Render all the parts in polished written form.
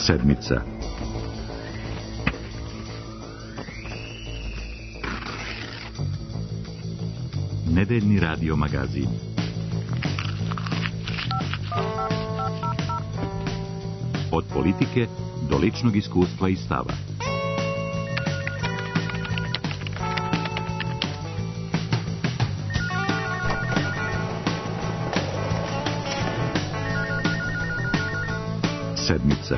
Sedmica. Nedeljni radio magazin. Od politike do ličnog iskustva i stava. Sedmica.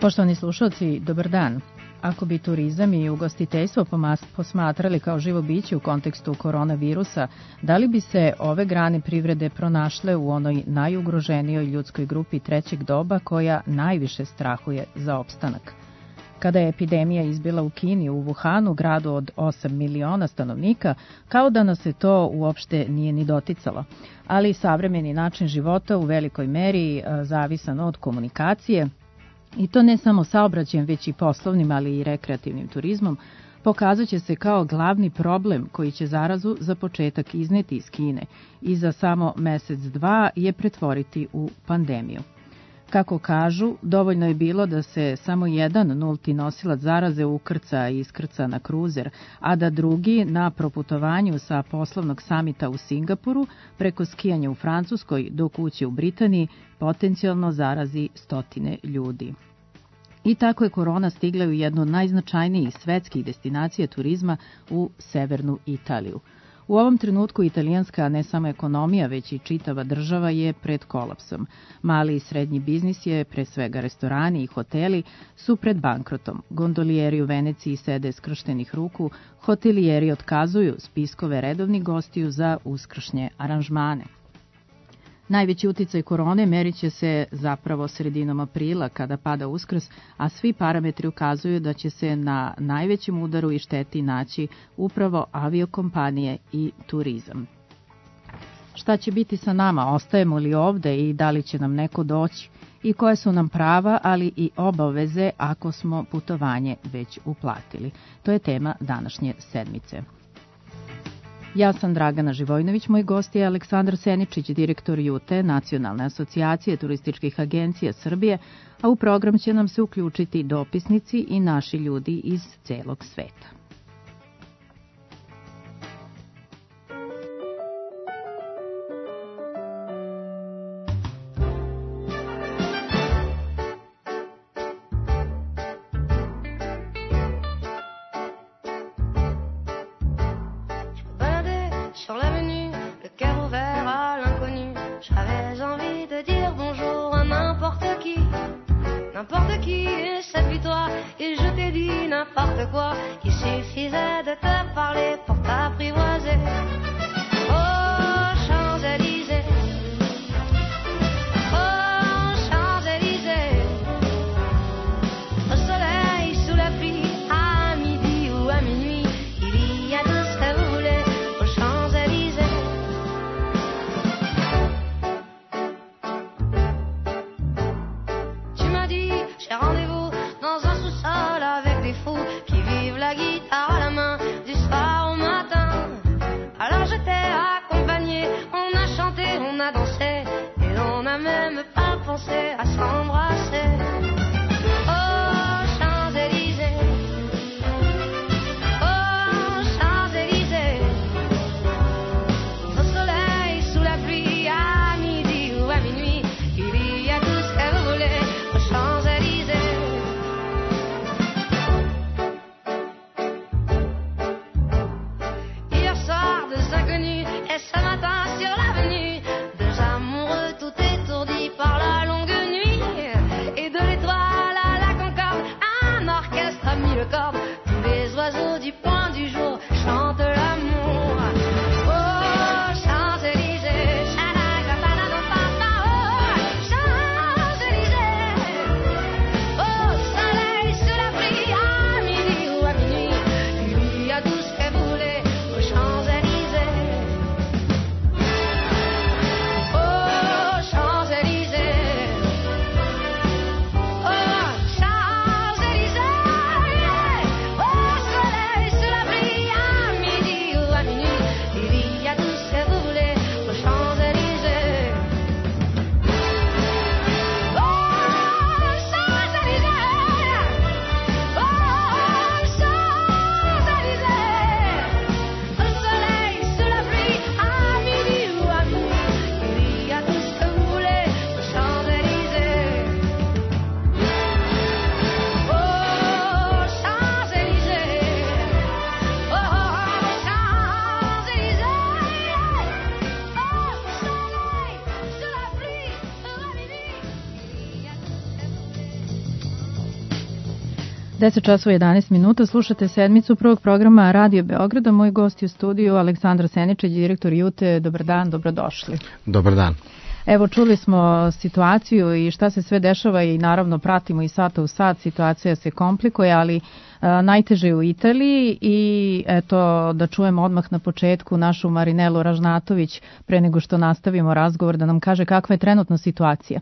Poštovani slušalci, dobar dan. Ako bi turizam i ugostiteljstvo posmatrali kao živo biće u kontekstu koronavirusa, da li bi se ove grane privrede pronašle u onoj najugroženijoj ljudskoj grupi trećeg doba koja najviše strahuje za opstanak? Kada je epidemija izbila u Kini, u Wuhanu, gradu od 8 miliona stanovnika, kao da nas se to uopšte nije ni doticalo. Ali savremeni način života u velikoj meri zavisan od komunikacije, i to ne samo saobraćajem, već i poslovnim, ali i rekreativnim turizmom, pokazat će se kao glavni problem koji će zarazu za početak izneti iz Kine i za samo mesec, dva je pretvoriti u pandemiju. Kako kažu, dovoljno je bilo da se samo jedan nulti nosilac zaraze ukrca i iskrca na kruzer, a da drugi na proputovanju sa poslovnog samita u Singapuru preko skijanja u Francuskoj do kuće u Britaniji potencijalno zarazi stotine ljudi. I tako je korona stigla u jednu od najznačajnijih svetskih destinacija turizma u severnu Italiju. U ovom trenutku italijanska ne samo ekonomija, već i čitava država je pred kolapsom. Mali i srednji biznis je, pre svega restorani i hoteli, su pred bankrotom. Gondolijeri u Veneciji sede skrštenih ruku, hotelijeri otkazuju spiskove redovnih gostiju za uskršnje aranžmane. Najveći uticaj korone merit će se zapravo sredinom aprila kada pada Uskrs, a svi parametri ukazuju da će se na najvećem udaru i šteti naći upravo aviokompanije i turizam. Šta će biti sa nama? Ostajemo li ovde i da li će nam neko doći? I koje su nam prava, ali i obaveze ako smo putovanje već uplatili? To je tema današnje sedmice. Ja sam Dragana Živojnović, moj gost je Aleksandar Seničić, direktor JUTE, Nacionalne asocijacije turističkih agencija Srbije, a u program će nam se uključiti dopisnici i naši ljudi iz celog sveta. N'importe qui, c'est puis toi, et je t'ai dit n'importe quoi. Il suffisait de te parler pour t'apprivoiser. Oh, Champs-Élysées, oh, Champs-Élysées, au soleil, sous la pluie, à midi ou à minuit, il y a tout ce que vous voulez aux Champs-Élysées. Tu m'as dit, j'ai rendez-vous dans un sous-sol avec des fous qui vivent la guitare à la main du soir au matin. Alors je t'ai accompagné, on a chanté, on a dansé et on n'a même pas pensé à s'embrasser. Oh, Champs-Élysées, oh, Champs-Élysées, au soleil, sous la pluie, à midi ou à minuit, il y a tout ce que vous voulez aux Champs-Élysées. Hier soir, deux inconnus, et ce matin sur l'avenue, deux amoureux tout étourdis par la longue nuit, et de 10 časova 11 minuta, slušate sedmicu prvog programa Radio Beograda. Moj gost je u studiju Aleksandar Seničić, direktor Jute. Dobar dan, dobrodošli. Dobar dan. Evo, čuli smo situaciju i šta se sve dešava i naravno pratimo i sata u sat, situacija se komplikuje, ali najteže je u Italiji i eto da čujemo odmah na početku našu Marinelu Ražnatović pre nego što nastavimo razgovor da nam kaže kakva je trenutna situacija.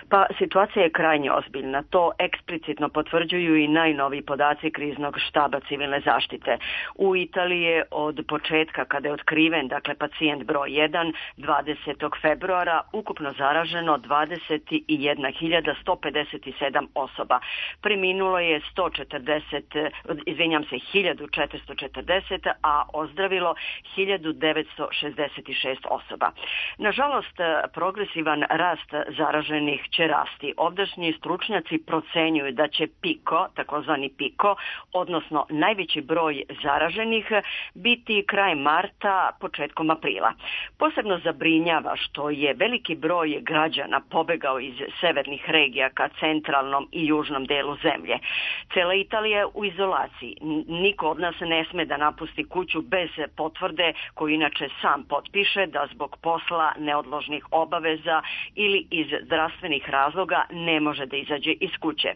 Pa situacija je krajnje ozbiljna. To eksplicitno potvrđuju i najnoviji podaci kriznog štaba civilne zaštite. U Italiji je od početka kada je otkriven, dakle pacijent broj 1, 20. februara, ukupno zaraženo 21.157 osoba. Preminulo je 1440, a ozdravilo 1966 osoba. Nažalost, progresivan rast zaraženih će rasti. Ovdašnji stručnjaci procenjuju da će takozvani piko, odnosno najveći broj zaraženih, biti krajem marta, početkom aprila. Posebno zabrinjava što je veliki broj građana pobegao iz severnih regija ka centralnom i južnom delu zemlje. Cela Italija je u izolaciji. Niko od nas ne sme da napusti kuću bez potvrde koju inače sam potpiše da zbog posla, neodložnih obaveza ili iz zdravstvenih razloga ne može da izađe iz kuće.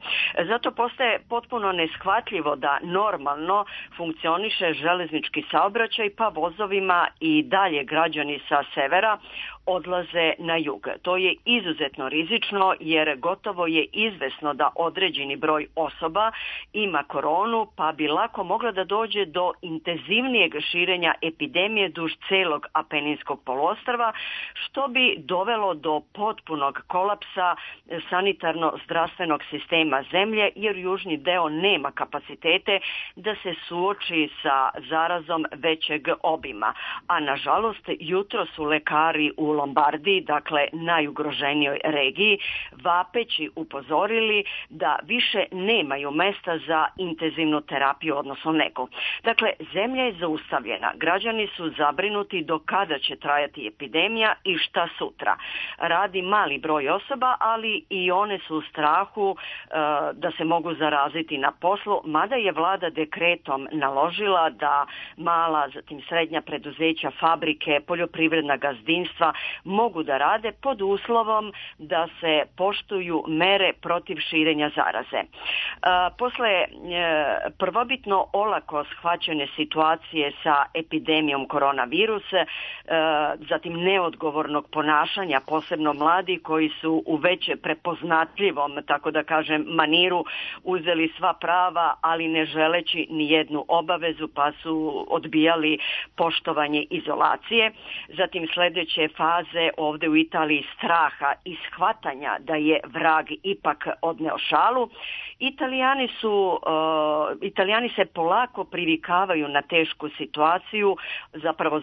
Zato postaje potpuno neshvatljivo da normalno funkcioniše železnički saobraćaj, pa vozovima i dalje građani sa severa odlaze na jug. To je izuzetno rizično jer gotovo je izvesno da određeni broj osoba ima koronu, pa bi lako mogla da dođe do intenzivnijeg širenja epidemije duž celog Apeninskog poluostrva, što bi dovelo do potpunog kolapsa sanitarno-zdravstvenog sistema zemlje, jer južni deo nema kapacitete da se suoči sa zarazom većeg obima. A nažalost, jutro su lekari u Lombardiji, dakle najugroženijoj regiji, vapeći upozorili da više nemaju mesta za intenzivnu terapiju, odnosno negu. Dakle, zemlja je zaustavljena. Građani su zabrinuti do kada će trajati epidemija i šta sutra. Radi mali broj osoba, ali i one su u strahu da se mogu zaraziti na poslu, mada je vlada dekretom naložila da mala, zatim srednja preduzeća, fabrike, poljoprivredna gazdinstva mogu da rade pod uslovom da se poštuju mere protiv širenja zaraze. Posle prvobitno olako shvaćene situacije sa epidemijom koronavirusa, zatim neodgovornog ponašanja, posebno mladi koji su u već prepoznatljivom, tako da kažem, maniru uzeli sva prava, ali ne želeći ni jednu obavezu, pa su odbijali poštovanje izolacije. Zatim sledeće faze ovde u Italiji straha i shvatanja da je vrag ipak odneo šalu. Italijani se polako privikavaju na tešku situaciju, zapravo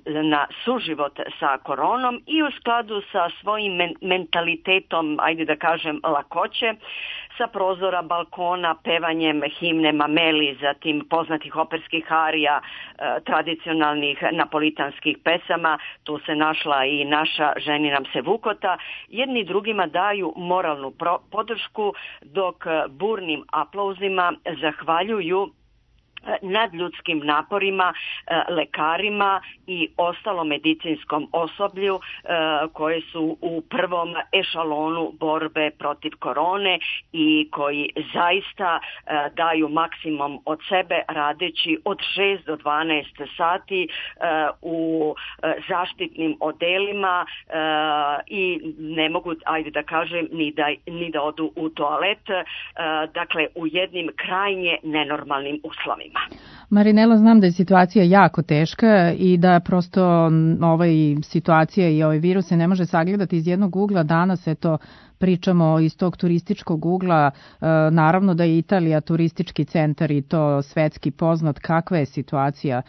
na suživot sa koronom i u skladu sa svojim mentalitetom, ajde da kažem, lakoće, sa prozora, balkona, pevanjem himne Mameli, zatim poznatih operskih arija, tradicionalnih napolitanskih pesama, tu se našla i naša Ženi nam se vukota, jedni drugima daju moralnu podršku, dok burnim aplauzima zahvaljuju nadljudskim naporima, lekarima i ostalom medicinskom osoblju koje su u prvom ešalonu borbe protiv korone i koji zaista daju maksimum od sebe radeći od 6 do 12 sati u zaštitnim odelima i ne mogu, ajde da kažem, ni da odu u toalet, dakle u jednim krajnje nenormalnim uslovima. Marinela, znam da je situacija jako teška i da prosto situacija i ovaj virus se ne može sagledati iz jednog ugla. Danas pričamo iz tog turističkog ugla. Naravno da je Italija turistički centar i to svetski poznat. Kakva je situacija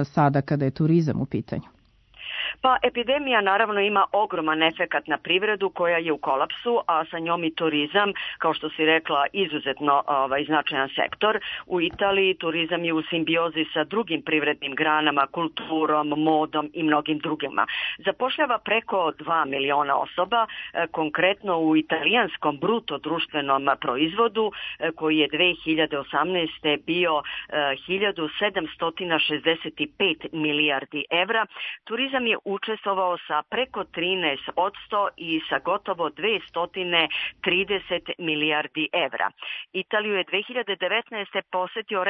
sada kada je turizam u pitanju? Pa epidemija naravno ima ogroman efekat na privredu koja je u kolapsu, a sa njom i turizam, kao što si rekla, izuzetno značajan sektor. U Italiji turizam je u simbiozi sa drugim privrednim granama, kulturom, modom i mnogim drugima. Zapošljava preko 2 miliona osoba, konkretno u italijanskom bruto društvenom proizvodu koji je 2018. bio 1765 milijardi evra. Turizam je učestvovao sa preko 13% i sa gotovo 230 milijardi evra. Italiju je 2019. posetio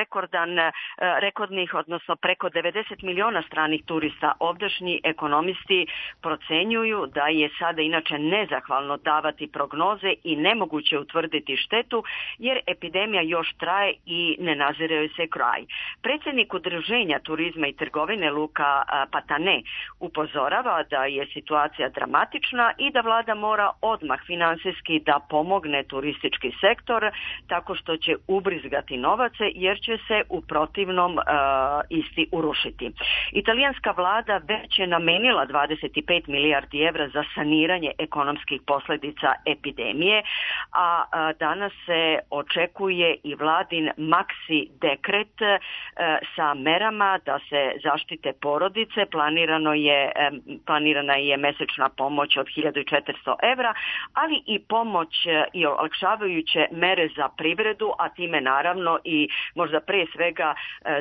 rekordnih, odnosno preko 90 miliona stranih turista. Ovdašnji ekonomisti procenjuju da je sada inače nezahvalno davati prognoze i nemoguće utvrditi štetu, jer epidemija još traje i ne nazire joj se kraj. Predsjednik Udruženja turizma i trgovine Luca Patane upozorava da je situacija dramatična i da vlada mora odmah finansijski da pomogne turistički sektor tako što će ubrizgati novace, jer će se u protivnom isti urušiti. Italijanska vlada već je namenila 25 milijardi evra za saniranje ekonomskih posljedica epidemije, a danas se očekuje i vladin maksi dekret sa merama da se zaštite porodice. Planirana je mesečna pomoć od 1400 evra, ali i pomoć i olakšavajuće mere za privredu, a time naravno i možda pre svega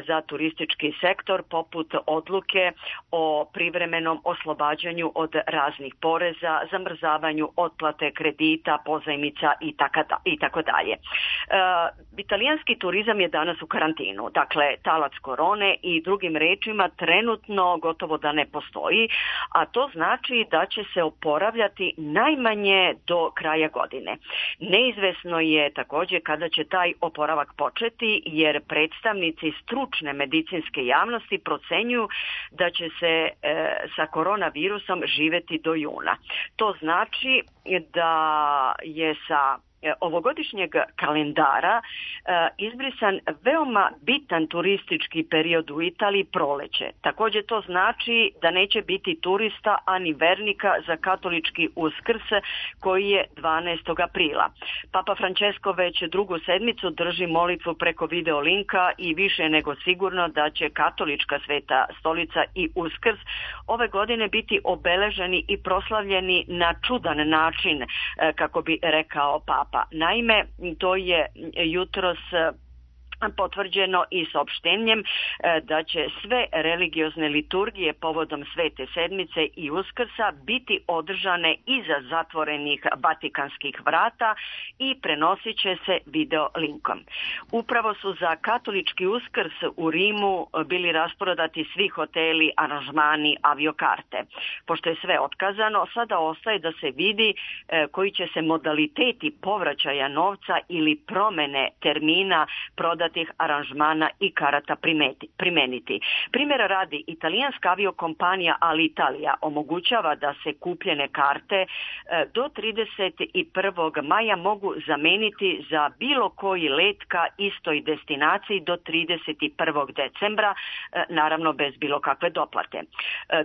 za turistički sektor, poput odluke o privremenom oslobađanju od raznih poreza, zamrzavanju otplate kredita, pozajmica i tako dalje. Italijanski turizam je danas u karantinu, dakle talac korone i drugim rečima trenutno gotovo da ne postoji, a to znači da će se oporavljati najmanje do kraja godine. Neizvesno je također kada će taj oporavak početi, jer predstavnici stručne medicinske javnosti procenjuju da će se sa koronavirusom živjeti do juna. To znači da je sa ovogodišnjeg kalendara izbrisan veoma bitan turistički period u Italiji, proleće. Također to znači da neće biti turista ani vernika za katolički Uskrs koji je 12. aprila. Papa Francesco već drugu sedmicu drži molitvu preko video linka i više nego sigurno da će katolička Sveta stolica i Uskrs ove godine biti obeleženi i proslavljeni na čudan način, kako bi rekao Papa. Naime, to je jutros potvrđeno i saopštenjem da će sve religiozne liturgije povodom Svete sedmice i Uskrsa biti održane iza zatvorenih vatikanskih vrata i prenosit će se video linkom. Upravo su za katolički Uskrs u Rimu bili rasprodati svi hoteli, aranžmani, aviokarte. Pošto je sve otkazano, sada ostaje da se vidi koji će se modaliteti povraćaja novca ili promene termina prodati aranžmana i karata primeniti. Primjera radi, italijanska aviokompanija Alitalia omogućava da se kupljene karte do 31. maja mogu zameniti za bilo koji let ka istoj destinaciji do 31. decembra, naravno bez bilo kakve doplate.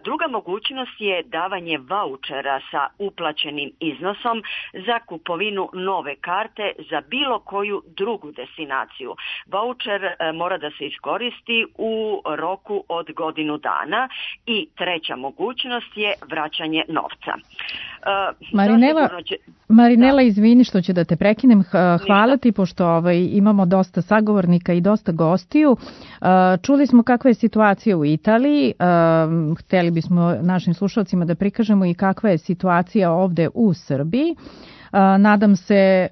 Druga mogućnost je davanje vaučera sa uplaćenim iznosom za kupovinu nove karte za bilo koju drugu destinaciju. Vaučer mora da se iskoristi u roku od godinu dana i treća mogućnost je vraćanje novca. Marinela, izvini što ću da te prekinem. Hvala ti, pošto imamo dosta sagovornika i dosta gostiju. Čuli smo kakva je situacija u Italiji. Hteli bismo našim slušalcima da prikažemo i kakva je situacija ovde u Srbiji. Nadam se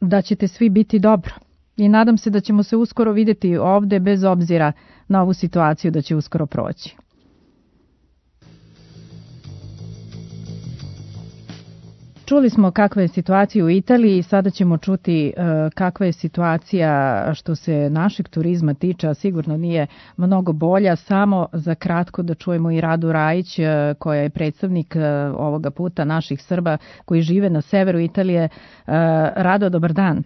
da ćete svi biti dobro. I nadam se da ćemo se uskoro vidjeti ovde, bez obzira na ovu situaciju da će uskoro proći. Čuli smo kakva je situacija u Italiji i sada ćemo čuti kakva je situacija što se našeg turizma tiče, a sigurno nije mnogo bolja. Samo za kratko da čujemo i Radu Rajić, koja je predstavnik ovoga puta naših Srba koji žive na severu Italije. Rado, dobar dan.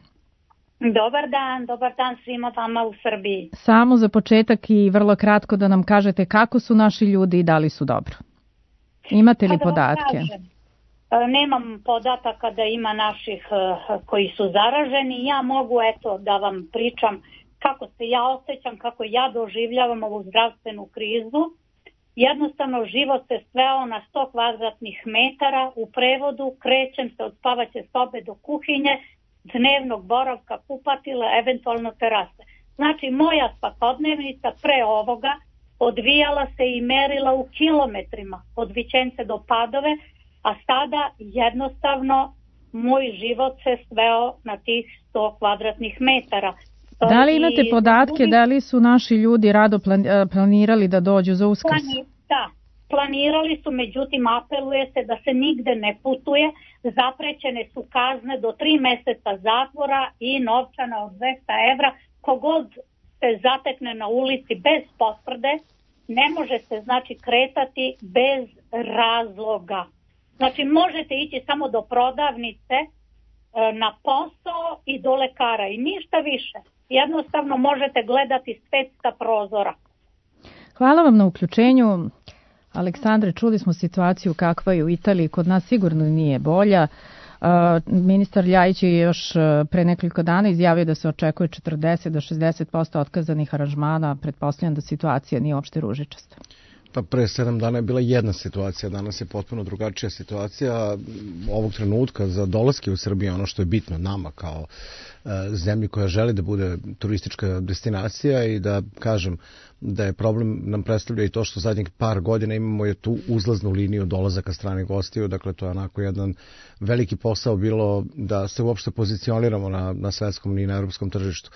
Dobar dan svima vama u Srbiji. Samo za početak i vrlo kratko da nam kažete kako su naši ljudi i da li su dobro. Imate li podatke? Nemam podataka da ima naših koji su zaraženi. Ja mogu da vam pričam kako se ja osjećam, kako ja doživljavam ovu zdravstvenu krizu. Jednostavno život se sveo na 100 kvadratnih metara, u prevodu krećem se od spavaće sobe do kuhinje, dnevnog boravka, kupatila, eventualno terase. Znači moja svakodnevnica pre ovoga odvijala se i merila u kilometrima od Vićence do Padove, a sada jednostavno moj život se sveo na tih 100 kvadratnih metara. Da li imate podatke, da li su naši ljudi rado planirali da dođu za Uskrs? Da, planirali su, međutim apeluje se da se nigde ne putuje, zaprećene su kazne do 3 meseca zatvora i novčana od 200 evra. Kogod se zatekne na ulici bez potvrde, ne može se znači kretati bez razloga. Znači možete ići samo do prodavnice, na posao i do lekara i ništa više. Jednostavno možete gledati svet sa prozora. Hvala vam na uključenju. Aleksandre, čuli smo situaciju kakva je u Italiji, kod nas sigurno nije bolja. Ministar Ljajić je još pre nekoliko dana izjavio da se očekuje 40 do 60% otkazanih aranžmana. Pretpostavljam da situacija nije uopšte ružičasta. Pa pre 7 dana je bila jedna situacija, danas je potpuno drugačija situacija. Ovog trenutka za dolaske u Srbiju, ono što je bitno nama kao zemlji koja želi da bude turistička destinacija i da kažem da je problem nam predstavlja i to što zadnjih par godina imamo je tu uzlaznu liniju dolazaka stranih gostiju, dakle to je onako jedan veliki posao bilo da se uopšte pozicioniramo na svetskom i na europskom tržištu.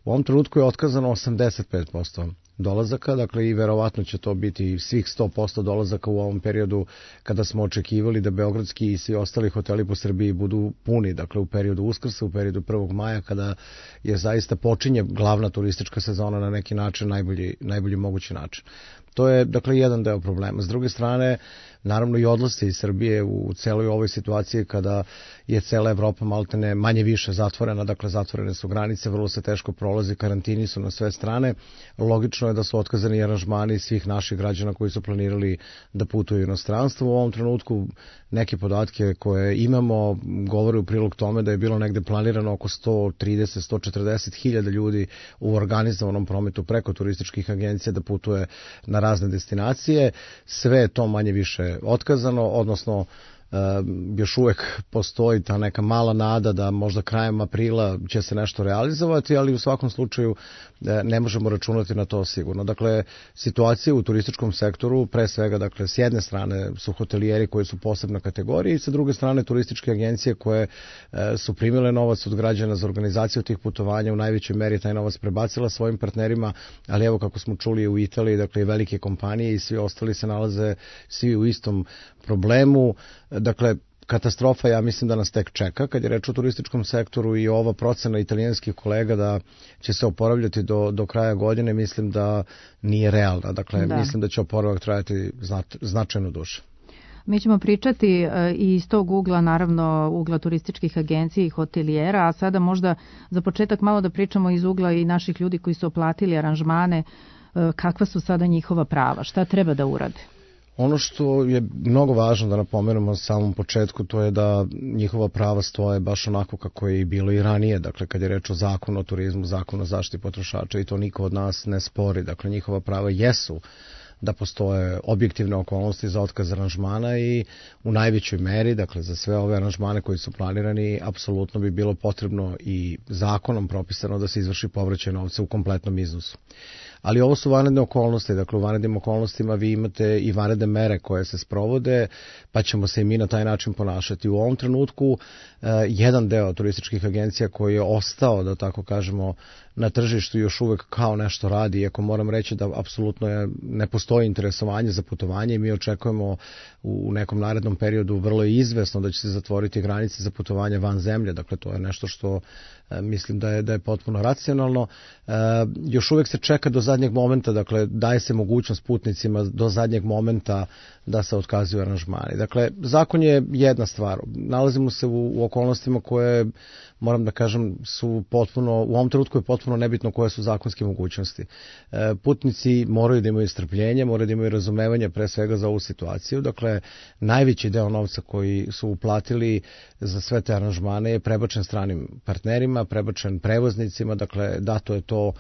U ovom trenutku je otkazano 85% dolazaka, dakle i verovatno će to biti svih 100% dolazaka u ovom periodu kada smo očekivali da beogradski i svi ostali hoteli po Srbiji budu puni, dakle u periodu Uskrsa, u periodu 1. maja kada je zaista počinje glavna turistička sezona na neki način, najbolji mogući način. To je, dakle, jedan deo problema. S druge strane, naravno i odlasci iz Srbije u celoj ovoj situaciji kada je cela Evropa maltene manje više zatvorena, dakle zatvorene su granice, vrlo se teško prolazi, karantini su na sve strane. Logično je da su otkazani aranžmani svih naših građana koji su planirali da putuju u inostranstvo. U ovom trenutku neke podatke koje imamo govore u prilog tome da je bilo negde planirano oko 130-140 hiljada ljudi u organizovanom prometu preko turističkih agencija da putuje na razne destinacije. Sve je to manje više otkazano, odnosno još uvek postoji ta neka mala nada da možda krajem aprila će se nešto realizovati, ali u svakom slučaju ne možemo računati na to sigurno. Dakle, situacija u turističkom sektoru, pre svega, dakle, s jedne strane su hotelijeri koji su posebna kategorija i sa druge strane turističke agencije koje su primile novac od građana za organizaciju tih putovanja, u najvećoj meri taj novac prebacila svojim partnerima, ali evo kako smo čuli u Italiji, dakle i velike kompanije i svi ostali se nalaze svi u istom problemu. Dakle, katastrofa, ja mislim da nas tek čeka kad je reč o turističkom sektoru i ova procena italijanskih kolega da će se oporavljati do kraja godine, mislim da nije realna. Dakle, mislim da će oporavak trajati značajno duže. Mi ćemo pričati i iz tog ugla, naravno ugla turističkih agencija i hotelijera, a sada možda za početak malo da pričamo iz ugla i naših ljudi koji su oplatili aranžmane, kakva su sada njihova prava, šta treba da urade? Ono što je mnogo važno da napomenemo na samom početku, to je da njihova prava stoje baš onako kako je i bilo i ranije. Dakle, kad je reč o zakonu o turizmu, zakonu o zaštiti potrošača, i to niko od nas ne spori. Dakle, njihova prava jesu da postoje objektivne okolnosti za otkaz aranžmana i u najvećoj meri, dakle za sve ove aranžmane koji su planirani, apsolutno bi bilo potrebno i zakonom propisano da se izvrši povraćaj novca u kompletnom iznosu. Ali ovo su vanredne okolnosti, dakle u vanrednim okolnostima vi imate i vanredne mere koje se sprovode, pa ćemo se i mi na taj način ponašati. U ovom trenutku jedan deo turističkih agencija koji je ostao, da tako kažemo, na tržištu još uvek kao nešto radi, iako moram reći da apsolutno ne postoji interesovanje za putovanje i mi očekujemo u nekom narednom periodu vrlo izvesno da će se zatvoriti granice za putovanje van zemlje, dakle to je nešto što mislim da je potpuno racionalno. Još uvek se čeka do zadnjeg zadnjeg momenta, dakle daje se mogućnost putnicima do zadnjeg momenta da se otkazuju aranžmani. Dakle, zakon je jedna stvar. Nalazimo se u okolnostima koje, moram da kažem, su potpuno, u ovom trenutku je potpuno nebitno koje su zakonske mogućnosti. Putnici moraju da imaju strpljenje, moraju da imaju razumevanje pre svega za ovu situaciju. Dakle, najveći deo novca koji su uplatili za sve te aranžmane je prebačen stranim partnerima, prebačen prevoznicima, dakle, dato je to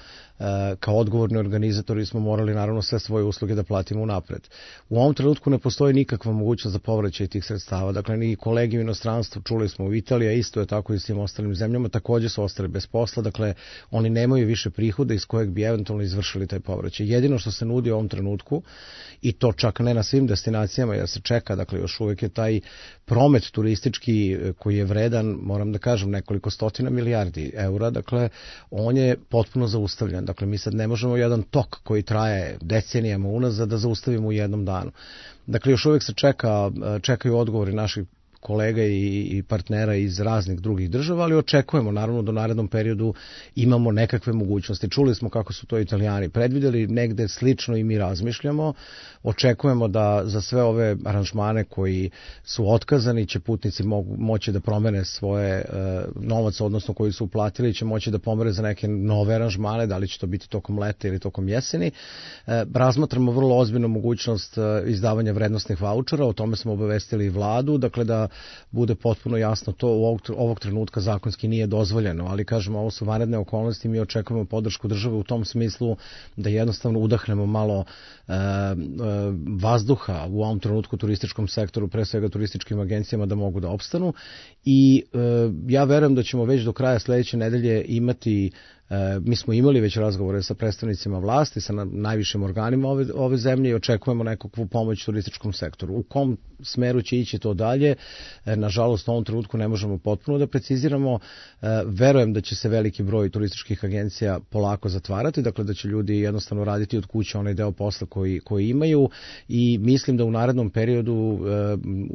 kao odgovorni organizatori smo morali naravno sve svoje usluge da platimo unapred. U ovom trenutku ne postoji nikakva mogućnost za povraćaj tih sredstava. Dakle, ni kolegi u inostranstvu, čuli smo u Italiji, isto je tako i svim ostalim zemljama, takođe su ostali bez posla, dakle, oni nemaju više prihoda iz kojeg bi eventualno izvršili taj povraćaj. Jedino što se nudi u ovom trenutku, i to čak ne na svim destinacijama, jer se čeka, dakle, još uvek je taj promet turistički koji je vredan, moram da kažem, nekoliko stotina milijardi eura, dakle, on je potpuno zaustavljen. Dakle, mi sad ne možemo jedan tok koji traje decenijama unazad da zaustavimo u jednom danu. Dakle, još uvek se čekaju odgovori naših kolega i partnera iz raznih drugih država, ali očekujemo naravno da u narednom periodu imamo nekakve mogućnosti. Čuli smo kako su to Italijani predvideli, negde slično i mi razmišljamo. Očekujemo da za sve ove aranžmane koji su otkazani će putnici moći da promene svoje novac, odnosno koji su uplatili, će moći da pomere za neke nove aranžmane, da li će to biti tokom leta ili tokom jeseni. Razmatramo vrlo ozbiljnu mogućnost izdavanja vrednosnih vaučera, o tome smo obavestili i vladu, dakle da bude potpuno jasno, to ovog trenutka zakonski nije dozvoljeno, ali kažemo, ovo su vanredne okolnosti, mi očekujemo podršku države u tom smislu da jednostavno udahnemo malo vazduha u ovom trenutku turističkom sektoru, pre svega turističkim agencijama da mogu da opstanu i ja verujem da ćemo već do kraja sledeće nedelje imati. Mi smo imali već razgovore sa predstavnicima vlasti, sa najvišim organima ove zemlje i očekujemo nekakvu pomoć turističkom sektoru. U kom smeru će ići to dalje, nažalost u ovom trenutku ne možemo potpuno da preciziramo. Verujem da će se veliki broj turističkih agencija polako zatvarati, dakle da će ljudi jednostavno raditi od kuće onaj deo posla koji imaju i mislim da u narednom periodu,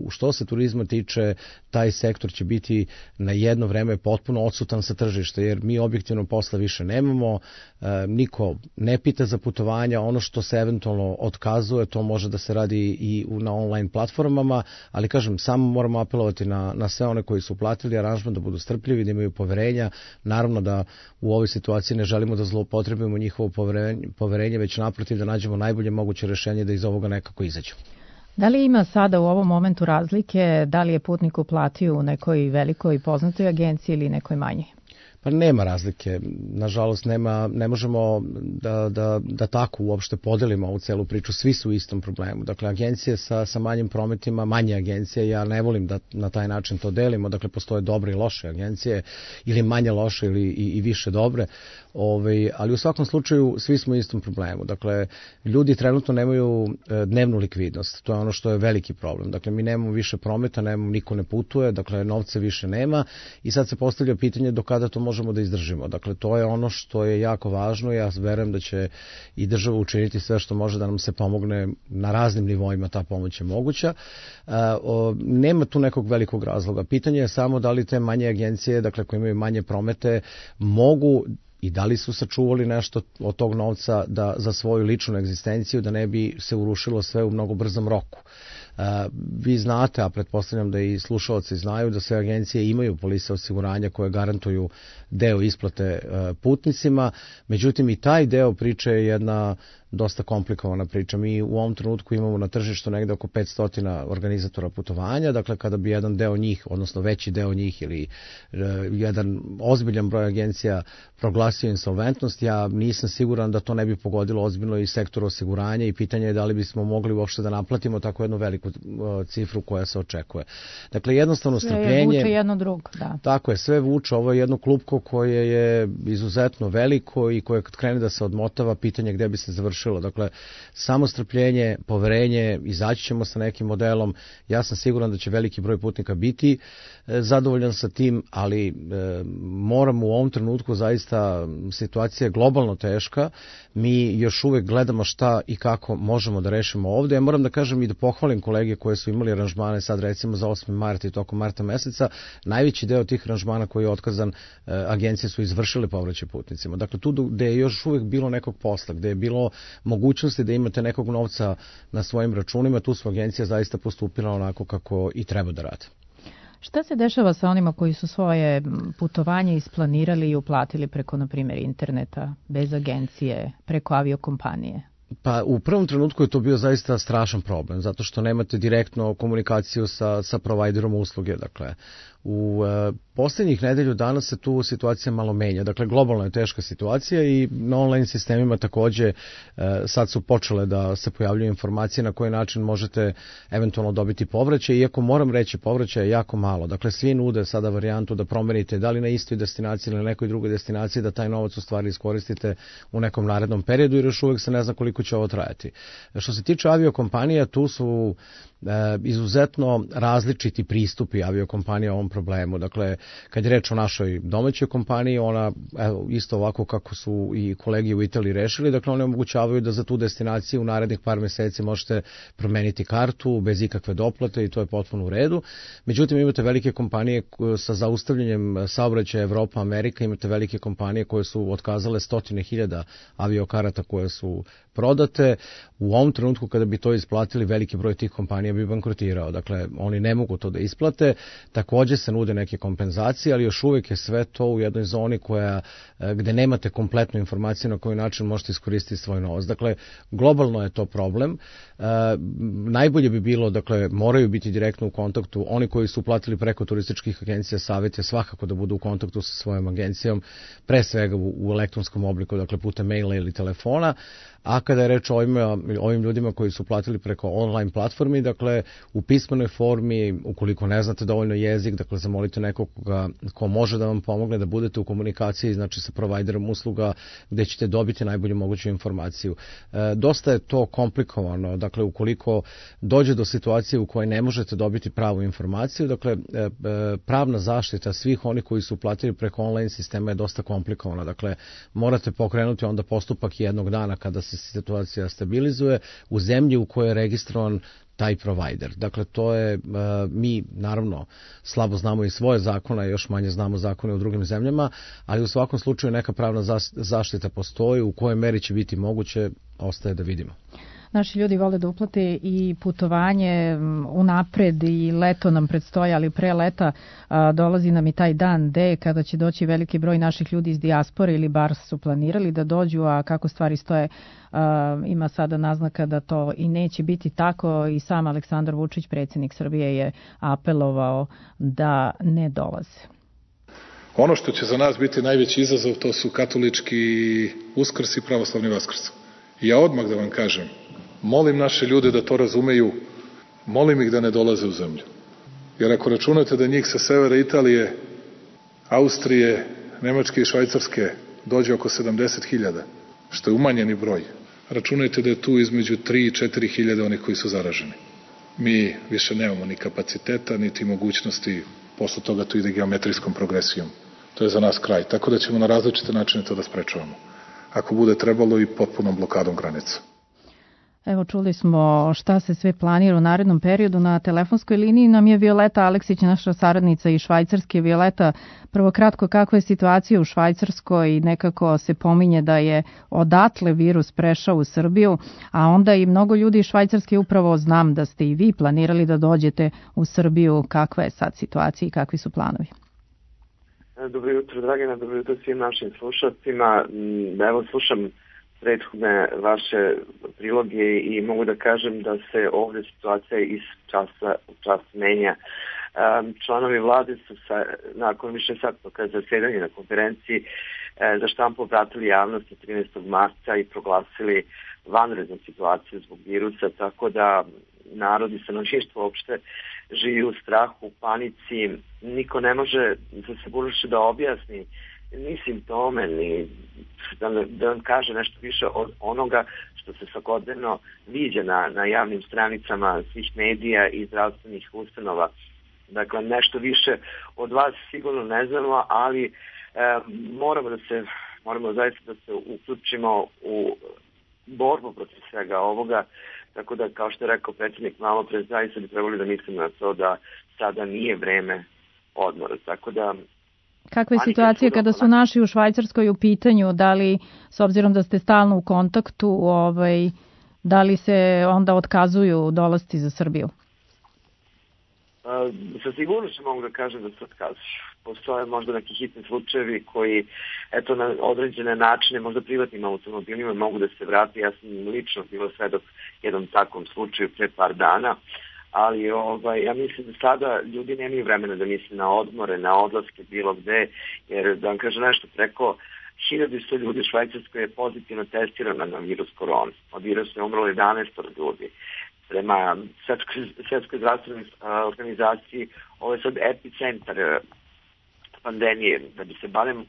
što se turizma tiče, taj sektor će biti na jedno vreme potpuno odsutan sa tržišta, jer mi objektivno posla više nemamo, niko ne pita za putovanja, ono što se eventualno otkazuje, to može da se radi i na online platformama, ali kažem, samo moramo apelovati na sve one koji su platili aranžman, da budu strpljivi, da imaju poverenja, naravno da u ovoj situaciji ne želimo da zloupotrebimo njihovo poverenje, već naprotiv da nađemo najbolje moguće rešenje da iz ovoga nekako izađemo. Da li ima sada u ovom momentu razlike, da li je putnik uplatio u nekoj velikoj poznatoj agenciji ili nekoj manjoj? Pa nema razlike, nažalost ne možemo da tako uopšte podelimo ovu celu priču, svi su u istom problemu. Dakle, agencije sa manjim prometima, manje agencije, ja ne volim da na taj način to delimo, dakle postoje dobre i loše agencije, ili manje loše ili i više dobre, ali u svakom slučaju svi smo u istom problemu. Dakle, ljudi trenutno nemaju dnevnu likvidnost, to je ono što je veliki problem. Dakle, mi nemamo više prometa, niko ne putuje, dakle novca više nema i sad se postavlja pitanje do kada to možemo da izdržimo. Dakle, to je ono što je jako važno. Ja verujem da će i država učiniti sve što može da nam se pomogne na raznim nivoima, ta pomoć je moguća. Nema tu nekog velikog razloga. Pitanje je samo da li te manje agencije, dakle koje imaju manje promete, mogu i da li su sačuvali nešto od tog novca za svoju ličnu egzistenciju, da ne bi se urušilo sve u mnogo brzom roku. Vi znate, a pretpostavljam da i slušalci znaju, da sve agencije imaju polise osiguranja koje garantuju deo isplate putnicima, međutim i taj deo priče je jedna dosta komplikovana priča. Mi u ovom trenutku imamo na tržištu negde oko 500 organizatora putovanja, dakle kada bi jedan deo njih, odnosno veći deo njih ili jedan ozbiljan broj agencija proglasio insolventnost, ja nisam siguran da to ne bi pogodilo ozbiljno i sektor osiguranja i pitanje je da li bismo mogli uopšte da naplatimo tako jednu veliku cifru koja se očekuje. Dakle, jednostavno strpljenje. Sve vuče jedno drugo, da. Tako je, sve vuče. Ovo je jedno klupko koje je izuzetno veliko i koje kad krene da se odmotava, pitanje gde bi se završilo. Dakle, samo strpljenje, poverenje, izaći ćemo sa nekim modelom. Ja sam siguran da će veliki broj putnika biti zadovoljan sa tim, ali moramo u ovom trenutku, zaista situacija je globalno teška. Mi još uvek gledamo šta i kako možemo da rešimo ovde. Ja moram da kažem i da pohvalim kolege kolege koje su imali aranžmane sad recimo za 8. mart i tokom marta meseca, najveći deo tih aranžmana koji je otkazan, agencije su izvršile povraćaj putnicima. Dakle, tu gde je još uvijek bilo nekog posla, gde je bilo mogućnosti da imate nekog novca na svojim računima, tu su agencije zaista postupila onako kako i treba da rade. Šta se dešava sa onima koji su svoje putovanje isplanirali i uplatili preko, na primjer, interneta, bez agencije, preko aviokompanije? Pa u prvom trenutku je to bio zaista strašan problem, zato što nemate direktno komunikaciju sa provajderom usluge. Dakle, u posljednjih nedelju dana se tu situacija malo menja. Dakle, globalno je teška situacija i na online sistemima takođe sad su počele da se pojavljuju informacije na koji način možete eventualno dobiti povraćaj, iako moram reći povraćaj je jako malo. Dakle, svi nude sada varijantu da promenite da li na istoj destinaciji ili na nekoj drugoj destinaciji, da taj novac u stvari iskoristite u nekom narednom periodu, jer još uvijek se ne zna koliko će ovo trajati. Što se tiče aviokompanija, tu su izuzetno različiti pristupi aviokompanija ovom problemu. Dakle, kad je reč o našoj domaćoj kompaniji, ona isto ovako kako su i kolegi u Italiji rešili, dakle one omogućavaju da za tu destinaciju u narednih par meseci možete promeniti kartu bez ikakve doplate i to je potpuno u redu. Međutim, imate velike kompanije sa zaustavljanjem saobraćaja Evropa, Amerika, imate velike kompanije koje su otkazale 100.000 aviokarata koje su prodate. U ovom trenutku kada bi to isplatili, veliki broj tih kompanija bi bankrotirao. Dakle, oni ne mogu to da isplate. Takođe se nude neke kompenzacije, ali još uvijek je sve to u jednoj zoni gde nemate kompletnu informaciju na koji način možete iskoristiti svoj novac. Dakle, globalno je to problem. Najbolje bi bilo, dakle, moraju biti direktno u kontaktu. Oni koji su platili preko turističkih agencija, savjet je svakako da budu u kontaktu sa svojom agencijom, pre svega u elektronskom obliku, dakle putem maila ili telefona. A kada je reč o ovim ljudima koji su platili preko online platformi, dakle u pismenoj formi, ukoliko ne znate dovoljno jezik, dakle zamolite nekog ko može da vam pomogne da budete u komunikaciji, znači sa provajderom usluga gde ćete dobiti najbolju moguću informaciju. Dosta je to komplikovano, dakle ukoliko dođe do situacije u kojoj ne možete dobiti pravu informaciju, dakle pravna zaštita svih onih koji su platili preko online sistema je dosta komplikovana, dakle morate pokrenuti onda postupak jednog dana kada se situacija stabilizuje u zemlji u kojoj je registrovan taj provider. Dakle, to je, mi naravno slabo znamo i svoje zakone, još manje znamo zakone u drugim zemljama, ali u svakom slučaju neka pravna zaštita postoji, u kojoj meri će biti moguće, ostaje da vidimo. Naši ljudi vole da uplate i putovanje unapred i leto nam predstoja, ali pre leta dolazi nam i taj dan D kada će doći veliki broj naših ljudi iz dijaspore ili bar su planirali da dođu, a kako stvari stoje ima sada naznaka da to i neće biti tako i sam Aleksandar Vučić, predsjednik Srbije, je apelovao da ne dolaze. Ono što će za nas biti najveći izazov to su katolički Uskrs i pravoslavni Vaskrs. I ja odmah da vam kažem, molim naše ljude da to razumeju, molim ih da ne dolaze u zemlju. Jer ako računate da njih sa severa Italije, Austrije, Nemačke i Švajcarske dođe oko 70.000, što je umanjeni broj, računajte da je tu između 3 i 4.000 onih koji su zaraženi. Mi više nemamo ni kapaciteta, niti mogućnosti, posle toga to ide geometrijskom progresijom. To je za nas kraj, tako da ćemo na različite načine to da sprečavamo. Ako bude trebalo i potpunom blokadom granica. Evo, čuli smo šta se sve planira u narednom periodu. Na telefonskoj liniji nam je Violeta Aleksić, naša saradnica iz Švajcarske. Violeta, prvo kratko, kakva je situacija u Švajcarskoj? Nekako se pominje da je odatle virus prešao u Srbiju, a onda i mnogo ljudi iz Švajcarske, upravo znam da ste i vi planirali da dođete u Srbiju. Kakva je sad situacija i kakvi su planovi? Dobro jutro, Dragana, dobro jutro svim našim slušalcima. Evo, slušam prethodne vaše priloge i mogu da kažem da se ovdje situacija iz časa u čas menja. Članovi vlade su nakon više satnog zasedanja na konferenciji za štampu obratili javnosti 13. marta i proglasili vanrednu situaciju zbog virusa, tako da narod i stanovništvo uopšte živi u strahu, u panici. Niko ne može za sigurnošću da objasni ni simptome, ni da vam kaže nešto više od onoga što se svakodnevno viđa na javnim stranicama svih medija i zdravstvenih ustanova. Dakle, nešto više od vas sigurno ne znamo, ali moramo zaista da se uključimo u borbu protiv svega ovoga. Tako da, kao što je rekao predsjednik malo pre, zaista bi trebali da mislimo na to da sada nije vreme odmora. Tako da... Kakva je situacija kada su naši u Švajcarskoj u pitanju? Da li, s obzirom da ste stalno u kontaktu, da li se onda otkazuju dolasci za Srbiju? Sa sigurnošću mogu da kažem da se otkazuju. Postoje možda neki hitni slučajevi koji, eto, na određene načine, možda privatnim automobilima mogu da se vrati. Ja sam lično bilo svedok jednom takvom slučaju pre par dana, ali ja mislim da sada ljudi nemaju vremena da misle na odmore, na odlaske bilo gde, jer da vam kažem nešto, preko 1100 ljudi u Švajcarskoj je pozitivno testirano na virus korona. Od virusa je umrlo 11 ljudi. Prema Svetskoj zdravstvenoj organizaciji, ovo je sad epicentar pandemije. Da bi se barem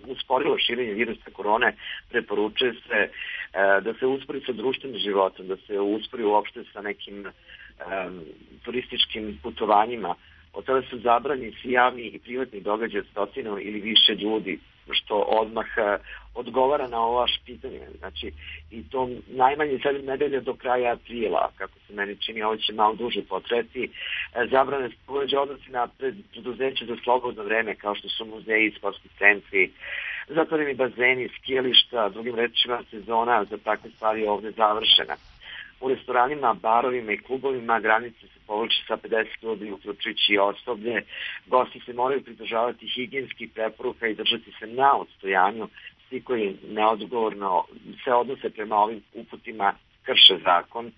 usporilo širenje virusa korone, preporučuje se da se uspori sa društvenim životom, da se uspori uopšte sa nekim turističkim putovanjima. Od tada su zabranjeni svi javni i privatni događaji od stotinu ili više ljudi, što odmah odgovara na ovo vaše pitanje. Znači, i to najmanje 7 nedelja do kraja aprila, kako se meni čini, ovo će malo duže potreti. Zabrane se odnosi na preduzeće za slobodno vreme, kao što su muzeji, sportski centri, zatvoreni bazeni, skijališta, drugim rečima sezona za takve stvari ovde završena. U restoranima, barovima i klubovima granice se povlače sa 50 ljudi, uključujući osoblje. Gosti se moraju pridržavati higijenskih preporuka i držati se na odstojanju. Svi koji neodgovorno se odnose prema ovim uputima krše zakon.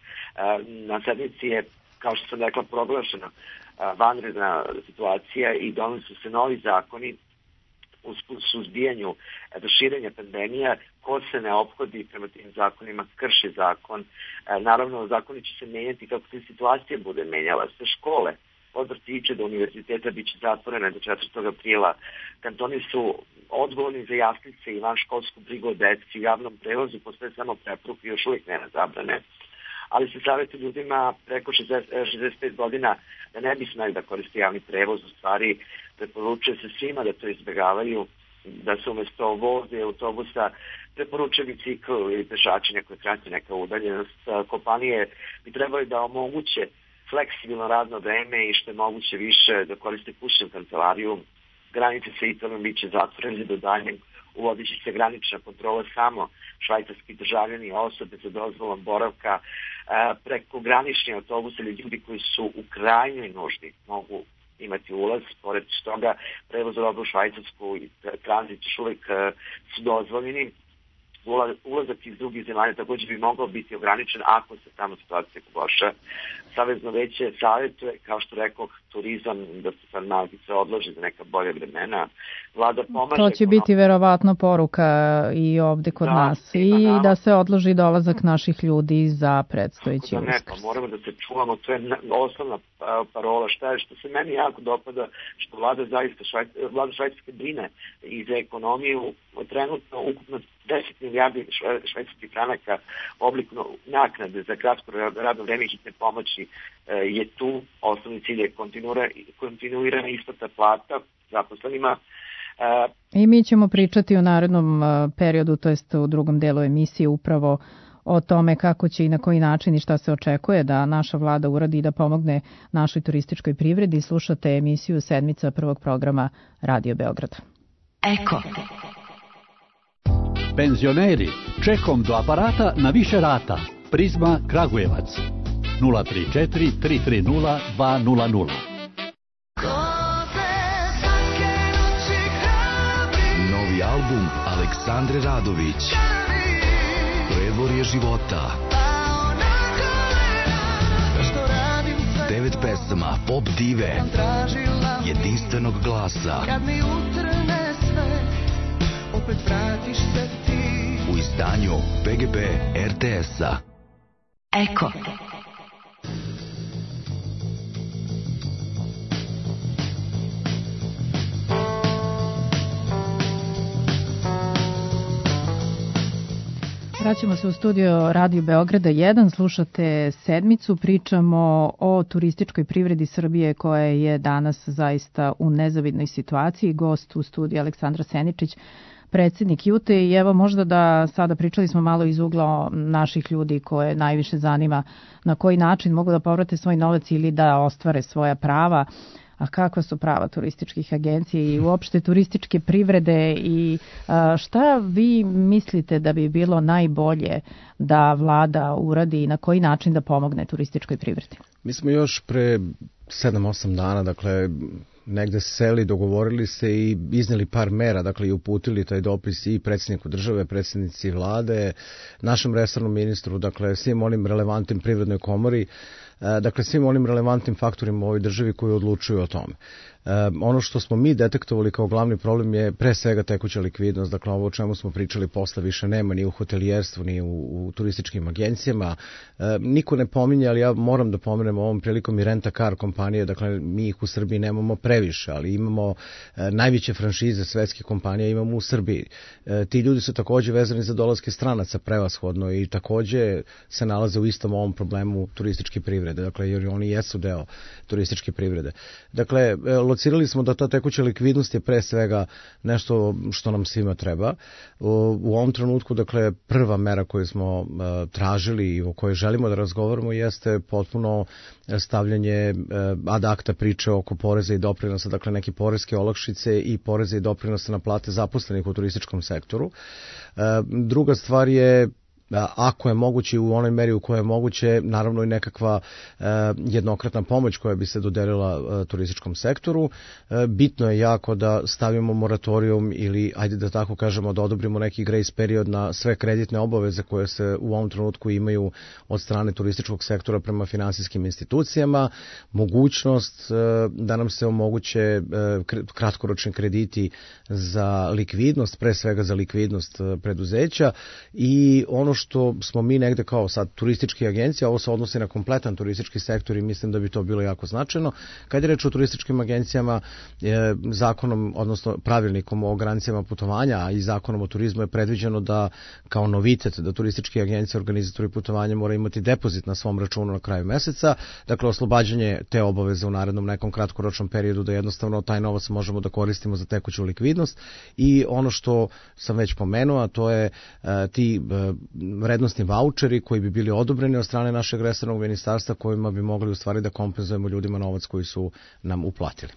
Na sednici je, kao što sam rekla, proglašena vanredna situacija i donose se novi zakoni u suzbijanju širenja pandemija. Ko se ne ophodi prema tim zakonima krši zakon. Naravno, zakoni će se menjati kako se situacija bude menjala. Sve škole, od vrtića do univerziteta, bit će zatvorene do 4. aprila. Kantoni su odgovorni za jaslice i vanškolsku brigu o deci. U javnom prevozu postoje samo preporuke, još uvijek nema zabrane. Ali se savjeti ljudima preko 65 godina da ne bi smeli da koriste javni prevoz. U stvari, preporučuje se svima da to izbjegavaju, da se umjesto voze i autobusa preporučuje bicikl ili pešačenje koje krati neka udaljenost. Kompanije bi trebali da omoguće fleksibilno radno vreme i što je moguće više da koriste kućnu kancelariju. Granice sa Italijom bit će zatvorene do daljnjeg. Uvodit će se granična kontrola samo švajcarski državljani, osobe za dozvolom boravka, preko granični autobus ili ljudi koji su u krajnjoj nuždi mogu imati ulaz. Pored toga, prevoz robe u Švajcarsku i tranzit još uvijek su dozvoljeni. Ulazak iz drugih zemalja također bi mogao biti ograničen ako se tamo situacija pogorša. Savezno veće savjetuje, kao što rekao, turizam da se sad malkice odloži za neka bolje vremena. Vlada pomaže... To će biti verovatno poruka i ovde kod nas i da se odloži dolazak naših ljudi za predstojeći Uskrs. Moramo da se čuvamo, to je osnovna parola. Što se meni jako dopada, što vlada Švajcarske brine i za ekonomiju, trenutno ukupno 10 milijardi švajcarskih franaka obliku naknade za kratko radno vreme hitne pomoći je tu. Osnovni cilj je kontinuirana isplata plata zaposlenima. I mi ćemo pričati u narednom periodu, to jest u drugom delu emisije, upravo o tome kako će i na koji način i šta se očekuje da naša vlada uradi da pomogne našoj turističkoj privredi. Slušate emisiju Sedmica prvog programa Radio Beograd. Eko. Penzioneri, čekom do aparata na više rata. Prizma Kragujevac 034 330 200. Novi album Aleksandre Radović, Predvorje života. 9 pesama pop dive, jedinstvenog glasa. U izdanju PGP RTS-a. Eko. Vraćamo se u studio Radio Beograda 1, slušate Sedmicu, pričamo o turističkoj privredi Srbije koja je danas zaista u nezavidnoj situaciji. Gost u studiju Aleksandra Seničić, predsjednik Jute i evo možda da sada pričali smo malo iz ugla naših ljudi koje najviše zanima na koji način mogu da povrate svoj novac ili da ostvare svoja prava. A kakva su prava turističkih agencija i uopšte turističke privrede i šta vi mislite da bi bilo najbolje da vlada uradi i na koji način da pomogne turističkoj privredi? Mi smo još pre 7-8 dana, dakle, negde seli, dogovorili se i izneli par mera, dakle i uputili taj dopis i predsjedniku države, predsjednici vlade, našem resornom ministru, dakle svim onim relevantnim privrednoj komori, dakle svim onim relevantnim faktorima u ovoj državi koji odlučuju o tome. Ono što smo mi detektovali kao glavni problem je pre svega tekuća likvidnost, dakle ovo o čemu smo pričali posle više nema ni u hotelijerstvu ni u turističkim agencijama. Niko ne pominje, ali ja moram da pomenem ovom prilikom i rent-a-car kompanije, dakle mi ih u Srbiji nemamo previše, ali imamo najveće franšize svetskih kompanija imamo u Srbiji. Ti ljudi su takođe vezani za dolaske stranaca prevashodno i takođe se nalaze u istom ovom problemu turističke privrede, dakle jer oni jesu deo turističke privrede. Dakle, locirali smo da ta tekuća likvidnost je pre svega nešto što nam svima treba. U ovom trenutku, dakle, prva mera koju smo tražili i o kojoj želimo da razgovaramo jeste potpuno stavljanje ad acta priče oko poreza i doprinosa, dakle neke poreske olakšice i poreza i doprinosa na plate zaposlenih u turističkom sektoru. Druga stvar je ako je moguće u onoj meri u kojoj je moguće, naravno i nekakva jednokratna pomoć koja bi se dodelila turističkom sektoru. Bitno je jako da stavimo moratorijum ili, ajde da tako kažemo, da odobrimo neki grace period na sve kreditne obaveze koje se u ovom trenutku imaju od strane turističkog sektora prema finansijskim institucijama, mogućnost da nam se omoguće kratkoročni krediti za likvidnost, pre svega za likvidnost preduzeća i ono što smo mi negde kao sad turističke agencije, ovo se odnosi na kompletan turistički sektor i mislim da bi to bilo jako značajno. Kad je reč o turističkim agencijama, zakonom, odnosno pravilnikom o garancijama putovanja, a i zakonom o turizmu je predviđeno da kao novitet da turističke agencije, organizatori putovanja mora imati depozit na svom računu na kraju meseca, dakle oslobađanje te obaveze u narednom nekom kratkoročnom periodu da jednostavno taj novac možemo da koristimo za tekuću likvidnost i ono što sam već pomenuo, a to je ti vrednostni vaučeri koji bi bili odobreni od strane našeg resornog ministarstva kojima bi mogli u stvari da kompenzujemo ljudima novac koji su nam uplatili.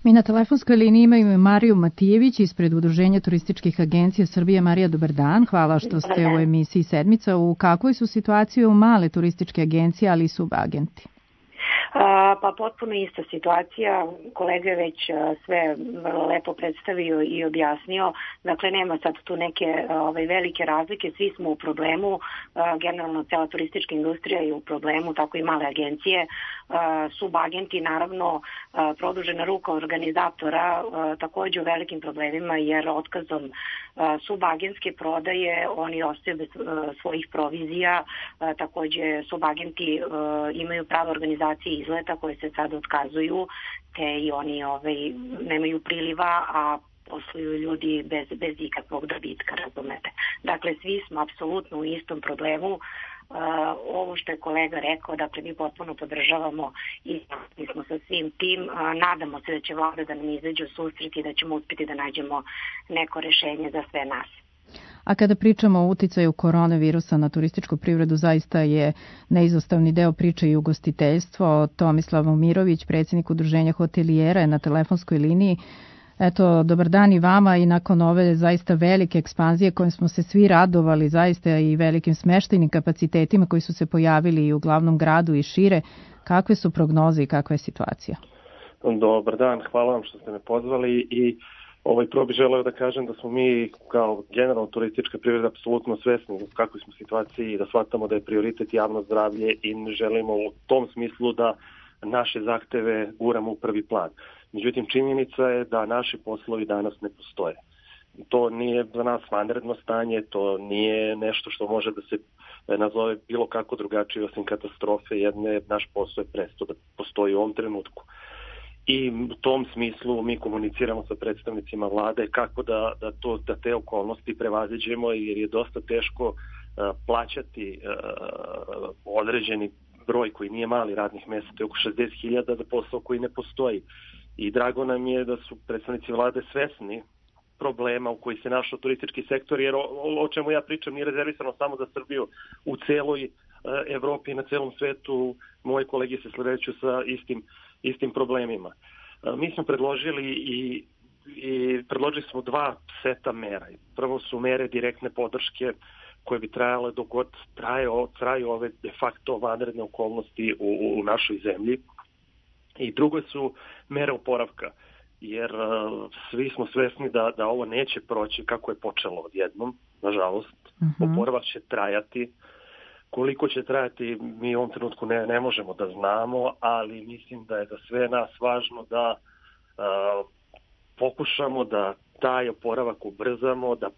Mi na telefonskoj liniji imamo Mariju Matijević ispred Udruženja turističkih agencija Srbije. Marija, dobar dan. Hvala što ste u emisiji Sedmica. U kakvoj su situaciji u male turističke agencije, ali i subagenti? Pa potpuno ista situacija, kolega je već sve vrlo lepo predstavio i objasnio, dakle nema sad tu neke velike razlike, svi smo u problemu, generalno cela turistička industrija je u problemu, tako i male agencije, subagenti naravno produžena ruka organizatora takođe u velikim problemima jer otkazom subagentske prodaje oni ostaju bez svojih provizija, takođe subagenti imaju pravo organizacije izleta koje se sad otkazuju, te i oni nemaju priliva, a posluju ljudi bez ikakvog dobitka, razumete. Dakle, svi smo apsolutno u istom problemu. Ovo što je kolega rekao, dakle mi potpuno podržavamo i mi smo sa svim tim. Nadamo se da će vlada da nam izađe u susret i da ćemo uspjeti da nađemo neko rešenje za sve nas. A kada pričamo o uticaju koronavirusa na turističku privredu, zaista je neizostavni deo priče i ugostiteljstvo. Tomislav Momirović, predsjednik Udruženja hotelijera, je na telefonskoj liniji. Eto, dobar dan i vama i nakon ove zaista velike ekspanzije kojim smo se svi radovali, zaista i velikim smeštajnim kapacitetima koji su se pojavili i u glavnom gradu i šire, kakve su prognoze i kakva je situacija? Dobar dan, hvala vam što ste me pozvali i prvo bih želeo da kažem da smo mi kao generalno turistička privreda apsolutno svesni u kakvoj smo situaciji i da shvatamo da je prioritet javno zdravlje i ne želimo u tom smislu da naše zahteve guramo u prvi plan. Međutim, činjenica je da naši poslovi danas ne postoje. To nije za nas vanredno stanje, to nije nešto što može da se nazove bilo kako drugačije osim katastrofe jedne, naš posao je prestao da postoji u ovom trenutku. I u tom smislu mi komuniciramo sa predstavnicima vlade kako da te okolnosti prevaziđemo jer je dosta teško plaćati određeni broj koji nije mali radnih mjesta, to je oko 60.000 za posao koji ne postoji. I drago nam je da su predstavnici vlade svesni problema u koji se našao turistički sektor, jer o čemu ja pričam nije rezervisano samo za Srbiju, u celoj Evropi i na celom svetu moji kolege se sledeću sa istim problemima. Mi smo predložili i predložili smo 2 seta mera. Prvo su mere direktne podrške koje bi trajale dok god traju ove de facto vanredne okolnosti u našoj zemlji. I drugo su mere oporavka, jer svi smo svesni da ovo neće proći kako je počelo odjednom, nažalost. Oporavak će trajati. Koliko će trajati, mi u ovom trenutku ne možemo da znamo, ali mislim da je za sve nas važno da pokušamo da taj oporavak ubrzamo, da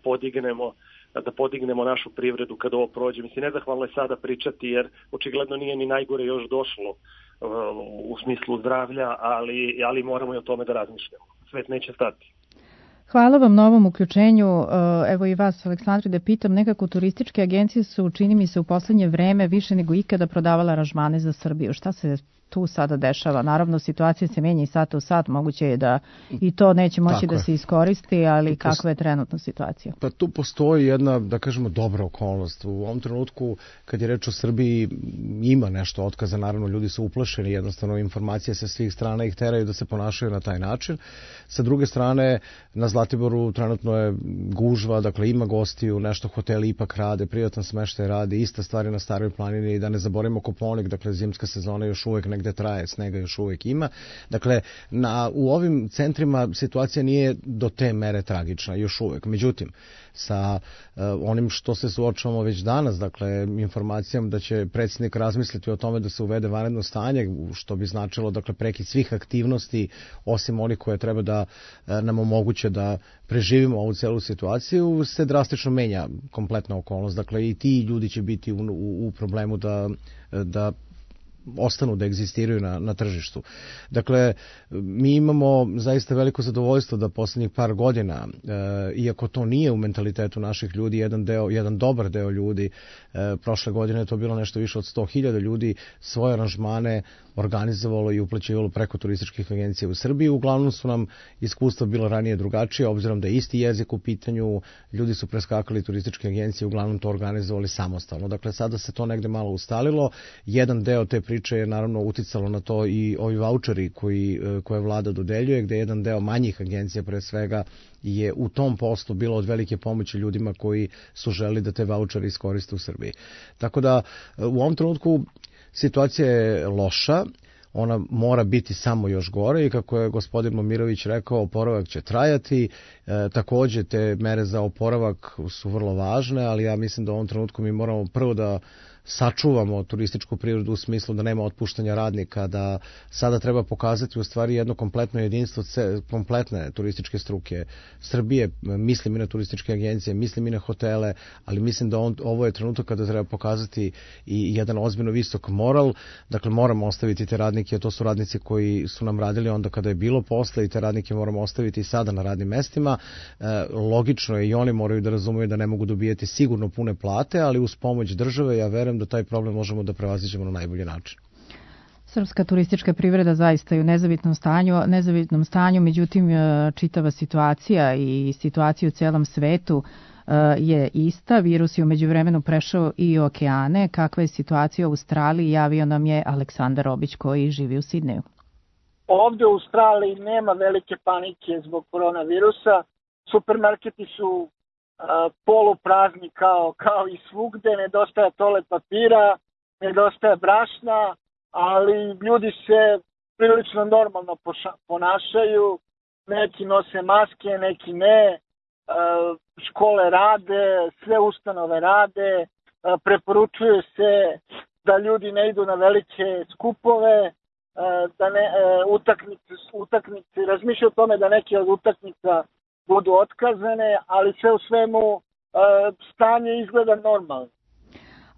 podignemo našu privredu kad ovo prođe. Mislim, nezahvalno je sada pričati, jer očigledno nije ni najgore još došlo u smislu zdravlja, ali moramo i o tome da razmišljamo. Svet neće stati. Hvala vam na ovom uključenju. Evo i vas, Aleksandri, da pitam, nekako turističke agencije su, čini mi se, u poslednje vreme više nego ikada prodavala aranžmane za Srbiju. Šta se tu sada dešava? Naravno, situacija se menja i sat u sat, moguće je da i to neće moći da se iskoristi, ali kakva je trenutna situacija? Pa tu postoji jedna, da kažemo, dobra okolnost. U ovom trenutku, kad je reč o Srbiji, ima nešto otkaza, naravno, ljudi su uplašeni, jednostavno informacije sa svih strana ih teraju da se ponašaju na taj način. Sa druge strane, na Zlatiboru trenutno je gužva, dakle ima gostiju, nešto hoteli ipak rade, privatan smeštaj radi, ista stvar je na Staroj planini, i da ne zaboravimo Kopaonik, dakle zimska sezona još uvek negde traje, snega još uvek ima. Dakle, u ovim centrima situacija nije do te mere tragična, još uvek. Međutim, sa onim što se suočavamo već danas, dakle, informacijom da će predsjednik razmisliti o tome da se uvede vanredno stanje, što bi značilo, dakle, prekid svih aktivnosti, osim onih koje treba da nam omoguće da preživimo ovu celu situaciju, se drastično menja kompletna okolnost. Dakle, i ti ljudi će biti u problemu da ostanu da egzistiraju na tržištu. Dakle, mi imamo zaista veliko zadovoljstvo da poslednjih par godina, iako to nije u mentalitetu naših ljudi, jedan dobar deo ljudi, prošle godine je to bilo nešto više od 100.000 ljudi, svoje aranžmane organizovalo i uplaćivalo preko turističkih agencija u Srbiji. Uglavnom su nam iskustva bilo ranije drugačije, obzirom da je isti jezik u pitanju, ljudi su preskakali turističke agencije, uglavnom to organizovali samostalno. Dakle, sada se to negde malo ustalilo. Jedan deo te priče je naravno uticalo na to i ovi vaučeri koje vlada dodeljuje, gde jedan deo manjih agencija pre svega je u tom poslu bilo od velike pomoći ljudima koji su želi da te vaučere iskoriste u Srbiji. Tako da u ovom trenutku situacija je loša, ona mora biti samo još gore i kako je gospodin Momirović rekao, oporavak će trajati. Takođe te mere za oporavak su vrlo važne, ali ja mislim da u ovom trenutku mi moramo prvo da sačuvamo turističku privredu u smislu da nema otpuštanja radnika, da sada treba pokazati u stvari jedno kompletno jedinstvo kompletne turističke struke Srbije. Mislim i na turističke agencije, mislim i na hotele, ali mislim da ovo je trenutak kada treba pokazati i jedan ozbiljno visok moral. Dakle, moramo ostaviti te radnike, to su radnici koji su nam radili onda kada je bilo posla, i te radnike moramo ostaviti i sada na radnim mestima. Logično je, i oni moraju da razumeju da ne mogu dobijati sigurno pune plate, ali uz pomoć države ja verujem da taj problem možemo da prevaziđemo na najbolji način. Srpska turistička privreda zaista je u nezavidnom stanju, međutim čitava situacija i situacija u celom svetu je ista. Virus je u međuvremenu prešao i okeane. Kakva je situacija u Australiji, javio nam je Aleksandar Obić koji živi u Sidneju. Ovde u Australiji nema velike panike zbog koronavirusa. Supermarketi su poluprazni kao i svugde, nedostaje toalet papira, nedostaje brašna, ali ljudi se prilično normalno ponašaju, neki nose maske, neki ne, škole rade, sve ustanove rade, preporučuje se da ljudi ne idu na velike skupove, da utakmice, razmišljaju o tome da neke od utakmica budu otkazane, ali sve u svemu stanje izgleda normalno.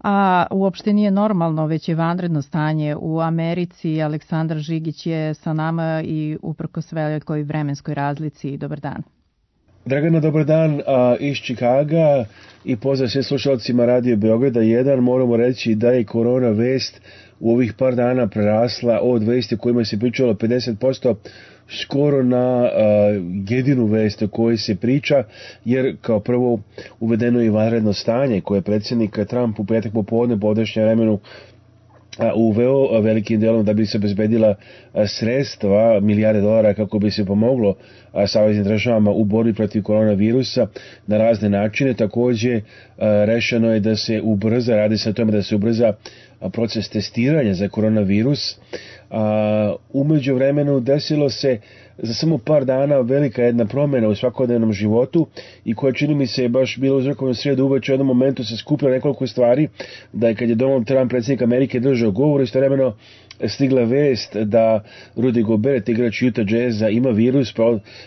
A uopšte nije normalno, već je vanredno stanje u Americi. Aleksandar Žigić je sa nama i uprkos velikoj vremenskoj razlici. Dobar dan. Dragana, dobar dan iz Čikaga i pozdrav sve slušalcima Radio Beograda 1. Moramo reći da je korona vest u ovih par dana prerasla od vesti o kojima se pričalo 50% skoro na jedinu vest o kojoj se priča, jer kao prvo uvedeno je vanredno stanje koje je predsjednik Trump u petak popodne po ovdašnjem vremenu uveo velikim delom da bi se obezbedila sredstva, milijarde dolara kako bi se pomoglo saveznim državama u borbi protiv koronavirusa na razne načine. Takođe rešeno je da se ubrza, radi se o tome da se ubrza proces testiranja za koronavirus. Umeđu vremenu desilo se za samo par dana velika jedna promjena u svakodnevnom životu i koja čini mi se baš bilo uzrokovano srijedu uveče u jednom momentu se skupilo nekoliko stvari, da je kad je Donald Trump, predsjednik Amerike, držao govor, istovremeno stigla vest da Rudy Gobert, igrač Utah Jazza, ima virus,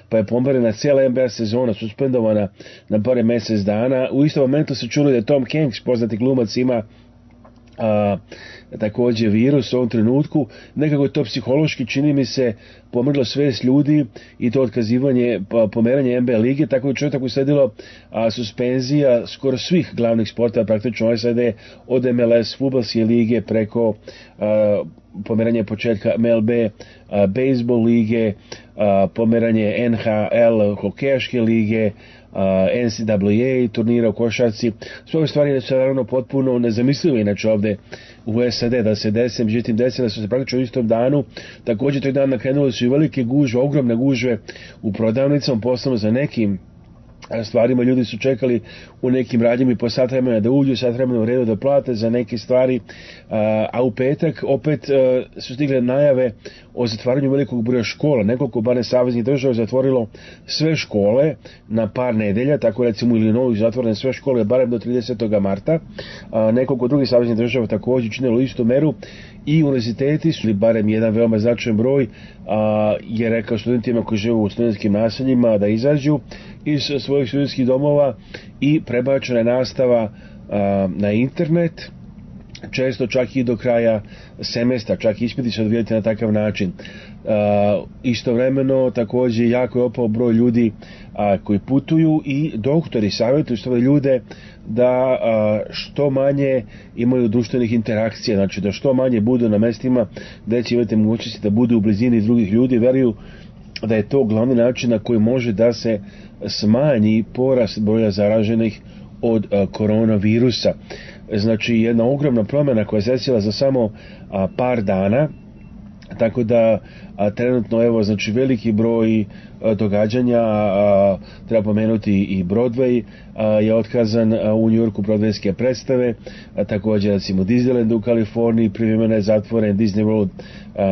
pa je pomerena cijela NBA sezona, suspendovana na par mjesec dana. U istom momentu se čulo da je Tom Hanks, poznati glumac, ima također virus u ovom trenutku. Nekako to psihološki, čini mi se, pomrlo svest ljudi i to otkazivanje pomeranje NBA lige, tako je čovjek usledilo suspenzija skoro svih glavnih sporta, praktično SAD, od MLS, fudbalske lige preko pomeranje početka MLB, bejsbol lige, pomeranje NHL, hokejaške lige, NCAA turnira u košarci. Sve ove stvari su naravno potpuno nezamislive inače ovde u SAD da se desi, međutim desile su se praktično u istom danu. Također tog dana krenule su i velike gužve, ogromne gužve u prodavnicama, posebno za nekim stvarima. Ljudi su čekali u nekim radnjama i po sat vremena da uđu, sat vremena u redu da plate za neke stvari, a u petak opet su stigle najave o zatvaranju velikog broja škola. Nekoliko barem saveznih država zatvorilo sve škole na par nedelja, tako recimo u Illinoisu zatvorene sve škole barem do 30. marta. Nekoliko drugih saveznih država također činilo istu meru i univerziteti su, barem jedan veoma značajan broj, je rekao studentima koji žive u studentskim naseljima da izađu iz svojih studentskih domova i prebačena je nastava na internet, često čak i do kraja semestra, čak ispiti se odvijati na takav način. Istovremeno također jako je opao broj ljudi koji putuju i doktori savjetuju svoje ljude da što manje imaju društvenih interakcija, znači da što manje budu na mestima gdje će imati mogućnosti da budu u blizini drugih ljudi. Veruju da je to glavni način na koji može da se smanji porast broja zaraženih od koronavirusa. Znači jedna ogromna promjena koja se desila za samo par dana, tako da trenutno evo znači veliki broj događanja, treba pomenuti i Broadway je otkazan u New Yorku, Broadwayske predstave, također recimo Disneyland u Kaliforniji privremeno je zatvoren, Disney World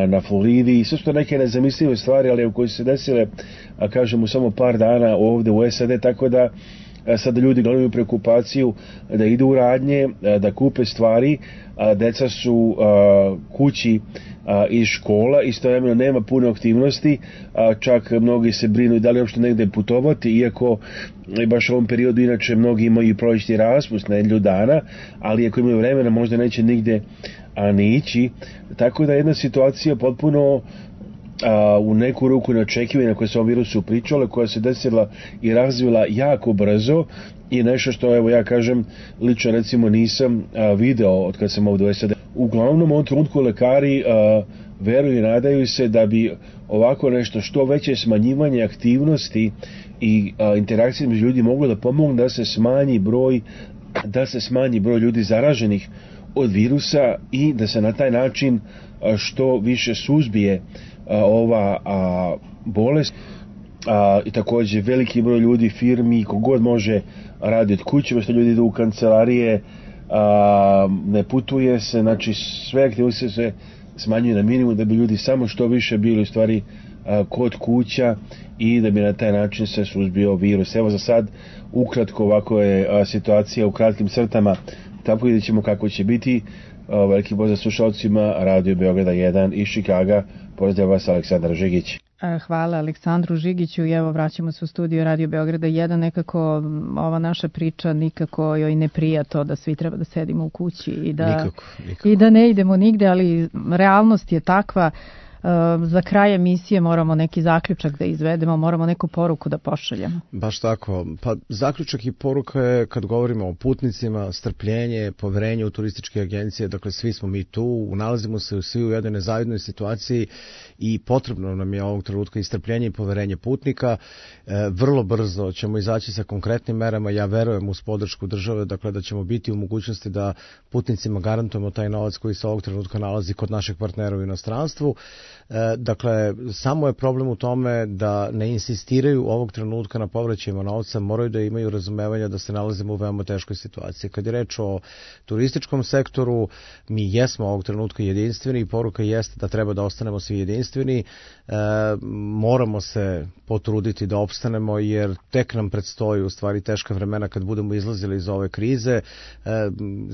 na Floridi, sve su neke nezamislive stvari, ali u koje su se desile kažemo samo par dana ovdje u SAD, tako da sada ljudi gledaju preokupaciju da idu u radnje, da kupe stvari, deca su kući iz škola, istovremeno nema puno aktivnosti, čak mnogi se brinu da li uopšte negde putovati, iako baš u ovom periodu inače mnogi imaju prolećni raspust na jednu dana, ali ako imaju vremena možda neće nigde ni ići, tako da jedna situacija potpuno u neku ruku neočekivanja koje se o virusu pričale, koja se desila i razvila jako brzo i nešto što evo ja kažem lično recimo nisam video od kad sam ovdje u SAD. Uglavnom u ovom trenutku lekari veruju i nadaju se da bi ovako nešto što veće smanjivanje aktivnosti i interakcije među ljudi moglo da pomogne da se smanji broj ljudi zaraženih od virusa i da se na taj način što više suzbije ova bolest. I također veliki broj ljudi, firmi, kogod može radi od kuće, što ljudi idu u kancelarije, ne putuje se, znači sve aktivnosti se smanjuju na minimum da bi ljudi samo što više bili u stvari kod kuća i da bi na taj način se suzbio virus. Evo za sad ukratko ovako je situacija u kratkim crtama, tako vidjet ćemo kako će biti. Veliki pozdrav slušalcima Radio Beograda 1 iz Čikaga. Pozdrav vas, Aleksandar Žigić. Hvala Aleksandru Žigiću i evo vraćamo se u studio Radio Beograda 1. Nekako ova naša priča nikako joj ne prija to da svi treba da sedimo u kući i da, nikako. I da ne idemo nigde, ali realnost je takva. za kraj emisije moramo neki zaključak da izvedemo, moramo neku poruku da pošaljemo. Baš tako. Pa zaključak i poruka je kad govorimo o putnicima, strpljenje, poverenje u turističke agencije, dakle svi smo mi tu, nalazimo se svi u jednoj nezavidnoj situaciji i potrebno nam je ovog trenutka i strpljenje i poverenje putnika. Vrlo brzo ćemo izaći sa konkretnim merama, ja verujem uz podršku države, dakle da ćemo biti u mogućnosti da putnicima garantujemo taj novac koji se ovog trenutka nalazi kod naših partnera u inostranstvu. Dakle, samo je problem u tome da ne insistiraju ovog trenutka na povraćajima novca, moraju da imaju razumevanja da se nalazimo u veoma teškoj situaciji. Kad je reč o turističkom sektoru, mi jesmo ovog trenutka jedinstveni i poruka jeste da treba da ostanemo svi jedinstveni. Moramo se potruditi da opstanemo jer tek nam predstoji u stvari teška vremena kad budemo izlazili iz ove krize.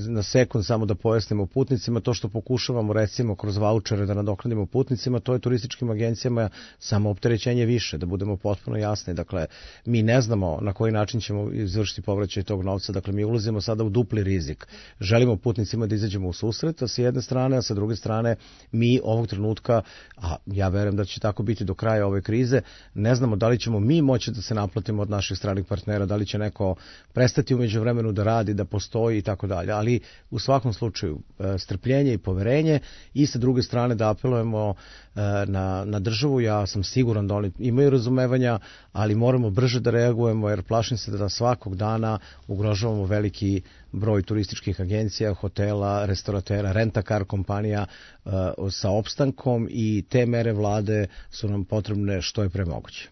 Na sekund samo da pojasnimo putnicima, to što pokušavamo recimo kroz vaučere da nadoknadimo putnicima, to je turističkim agencijama samo opterećenje više, da budemo potpuno jasni. Dakle, mi ne znamo na koji način ćemo izvršiti povraćaj tog novca, dakle mi ulazimo sada u dupli rizik. Želimo putnicima da izađemo u susret, a sa jedne strane, a sa druge strane mi ovog trenutka, a ja verujem da će tako biti do kraja ove krize, ne znamo da li ćemo mi moći da se naplatimo od naših stranih partnera, da li će neko prestati u međuvremenu da radi, da postoji i tako dalje, ali u svakom slučaju strpljenje i poverenje i sa druge strane da apelujemo na državu. Ja sam siguran da oni imaju razumevanja, ali moramo brže da reagujemo jer plašim se da svakog dana ugrožavamo veliki broj turističkih agencija, hotela, restoratera, rent-a-car kompanija sa opstankom i te mere vlade su nam potrebne što je pre moguće.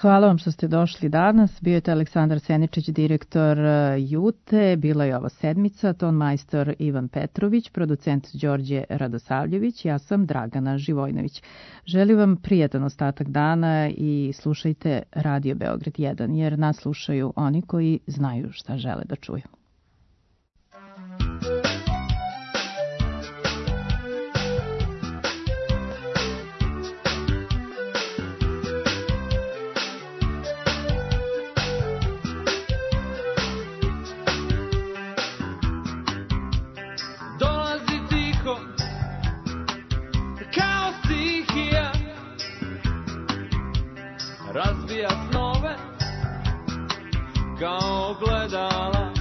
Hvala vam što ste došli danas. Bio je to Aleksandar Seničić, direktor Jute. Bila je ovo sedmica, ton majstor Ivan Petrović, producent Đorđe Radosavljević. Ja sam Dragana Živojnović. Želim vam prijatan ostatak dana i slušajte Radio Beograd 1, jer nas slušaju oni koji znaju šta žele da čuju. Razbija snove kao gledala,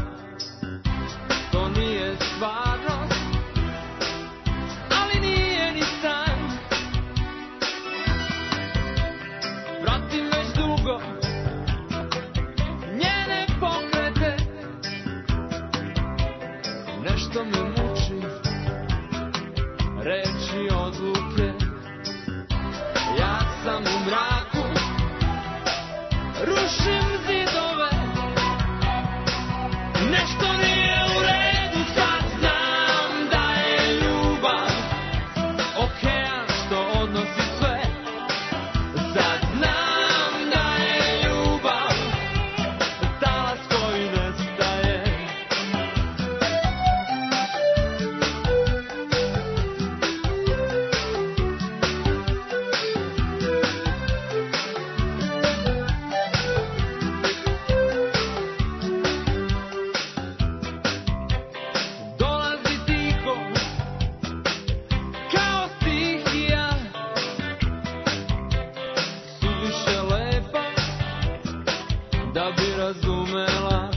to nije stvarnost, ali nije ni san. Pratim već dugo njene pokrete, nešto me muči, reči odluke. Ja sam u mraku, rušim zidove, nešto nije u redu, sad znam da je ljubav okean što odnosi sve, sad znam da je ljubav talas koji nestaje. Da bi razumela